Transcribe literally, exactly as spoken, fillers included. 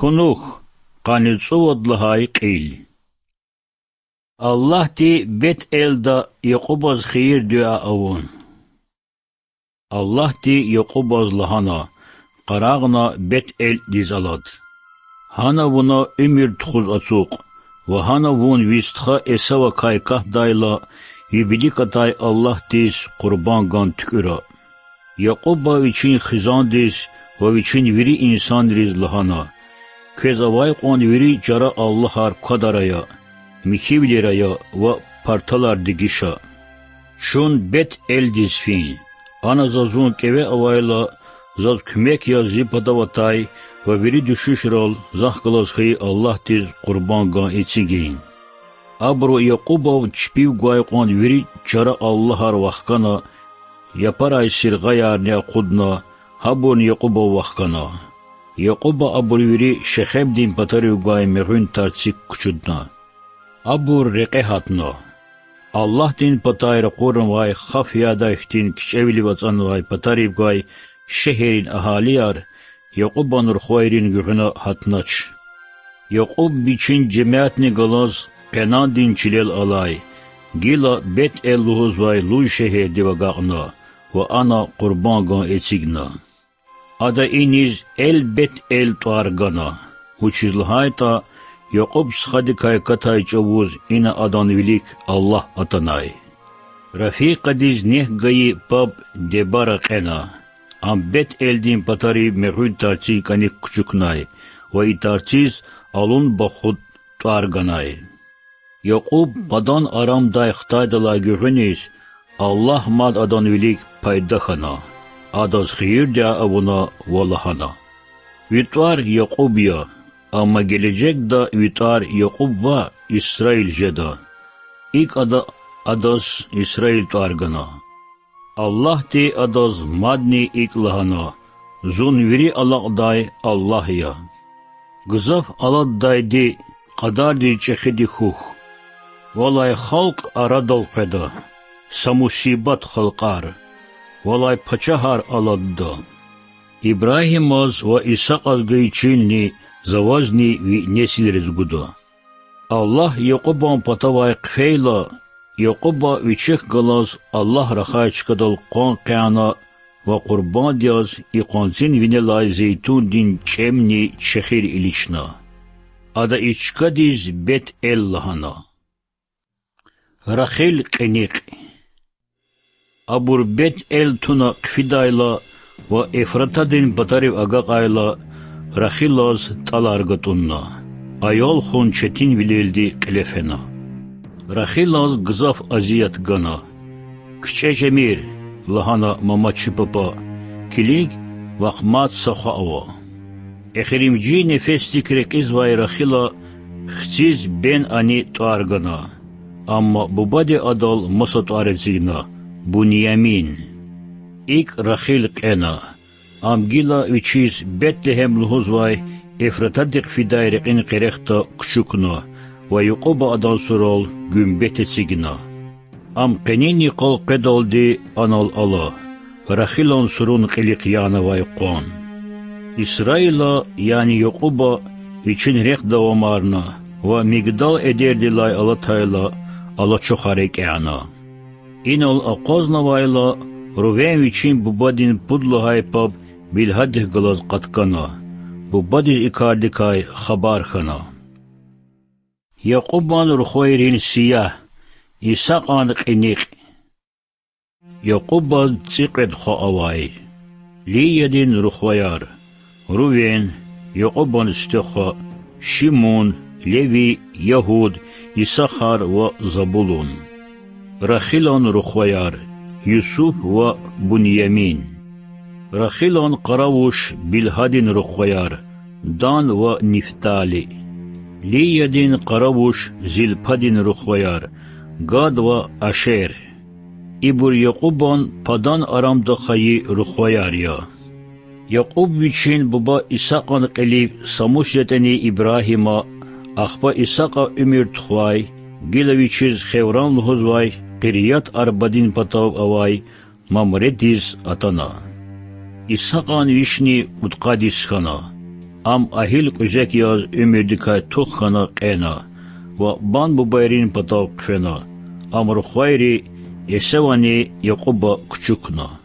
Кунух, къанни цӀувад лагьай кьил. Аллагьди Бет-Элда Якьубаз хийир-дуьа авун. Аллагьди Якьубаз лагьана: Къарагъна Бет-Элдиз алад. Гьана вуна уьмуьр тухуз ацукь, ва гьана вун ви стха Эсавакай катдайла, ви вилик атай Аллагьдиз къурбан гун туькӀуьра. Якьуба вичин хизандиз ва вичин вири инсанриз лагьана: Квез авай кьван вири чара аллагьар квадар ая, михьивилер ая ва парталар дегиш ая. Чун Бет-Элдиз фин, ана за зун кӀеве авайла, заз куьмек яз зи патав атай ва вири дуьшуьшрал захъ галаз хьайи Аллагьдиз къурбан гун эцигин. Абуру Якьубав чпив гвай кьван вири чара аллагьар вахкана, япарай сиргъаярни акъудна, гьабурни Якьубав вахкана. Якьуба абур вири Шехемдин патарив гвай мегъуьн тарцик кучудна. Абур рекье гьатна. Аллагьдин патай ракъурнавай хаф ядай хьтин кичӀевилив ацӀанвай патарив гвай шегьеррин агьалияр Якьубан рухвайрин гуьгъуьна гьатнач. Якьуб вичин жемятни галаз Къенандин чилел алай, гила Бет-Эл лугьузвай луж шегьердив агакьна ва ана къурбан гун эцигна. Ада иниз Эл-Бет-Эл тӀвар гана, вучиз лагьайтӀа Якьуб стхадикай катай чӀавуз ина адан вилик Аллагь атанай. Рафикъадиз нек гайи паб Дебара кьена. Ам Бет-Элдин патарив мегъуьн тарцин кӀаник кучукнай ва и тарциз Алун-Бахуд тӀвар ганай. Якьуб Падан-Арамдай хтайдалай гуьгъуьниз Аллагь мад адан вилик пайда хьана, адаз хийир-дуьа авуна ва лагьана: Ви тӀвар Якьуб я, амма гележегда ви тӀвар Якьуб ваъ, Исраил жеда. ИкӀ ада адаз Исраил тӀвар гана. Аллагьди адаз мадни икӀ лагьана: Зун вири алакьдай Аллагь я. Гзаф алатдайди кьадардиз чӀехиди хьухь. Валай халкь арадал къведа, са мусибат халкьар, валай пачагьар алатда. Ибрагьимаз ва Исакьаз гайи чилни за вазни ви несилриз гуда. Аллагь Якьубан патавай хъфейла, Якьуба вичихъ галаз Аллагь рахай чкадал къван къяна ва къурбанд яз и къванцин винелай зейтундин чӀемни чехир илична. Ада и чкадиз Бет-Эл лагьана. Рахил кьиникь. Абур Бет-Эл туна хъфидайла ва Эфратадин патарив агакьайла, Рахилаз тӀалар гатӀунна. Аял хун четинвилелди кьиле фена. Рахилаз гзаф азият гана. КичӀе жемир,— лагьана мама чи папа,— килиг, вахъ мад са хва ава. Эхиримжи нефесдик рекьизвай Рахила хциз Бен-Ани тӀвар гана, амма бубади адал маса тӀвар эцигна: Буньямин. ИкӀ Рахил кьена. Ам гила вичиз Бетлегьем лугьузвай Эфратадихъ фидай рекьин къерехда кучукна ва Якьуба адан сурал гуьмбет эцигна. Ам къенин йикъал къведалди анал ала, Рахилан сурун кьилихъ янавай къван. Исраила, яни Якьуба, вичин рехъ давамарна ва Мигдал-Эдердилай алатайла, алачухар экӀяна. Инал акъвазнавайла, Рувен вичин бубадин пуд лагьай паб Билгьадихъ галаз къаткана, бубадиз и кардикай хабар хьана. Якьубан рухвайрин сиягь. Исакьан кьиникь. Якьубаз цӀикьвед хва авай: Лиядин рухваяр: Рувен, Якьубан сифте хва, Шимун, Леви, Ягьуд, Исахар ва Забулун. Рахилан рухваяр: Юсуф ва Буньямин. Рахилан къаравуш Билгьадин рухваяр: Дан ва Нифтали. Лиядин къаравуш Зилпадин рухваяр: Гад ва Ашер. Ибур Якьубан Падан-Арамда хайи рухваяр я. Якьуб вичин буба Исакьан кьилив са мус ятӀани Ибрагьима, ахпа Исакьа уьмуьр тухвай, гила вичиз Хевран лугьузвай Къирят-Арбадин патав авай Мамредиз атана. Исакьан вишни кьудкъад йис хьана. Ам агьил кьуьзек яз уьмуьрдикай тух хьана кьена ва бан бубайрин патав хъфена. Ам рухвайри Эсавани Якьуба кучукна.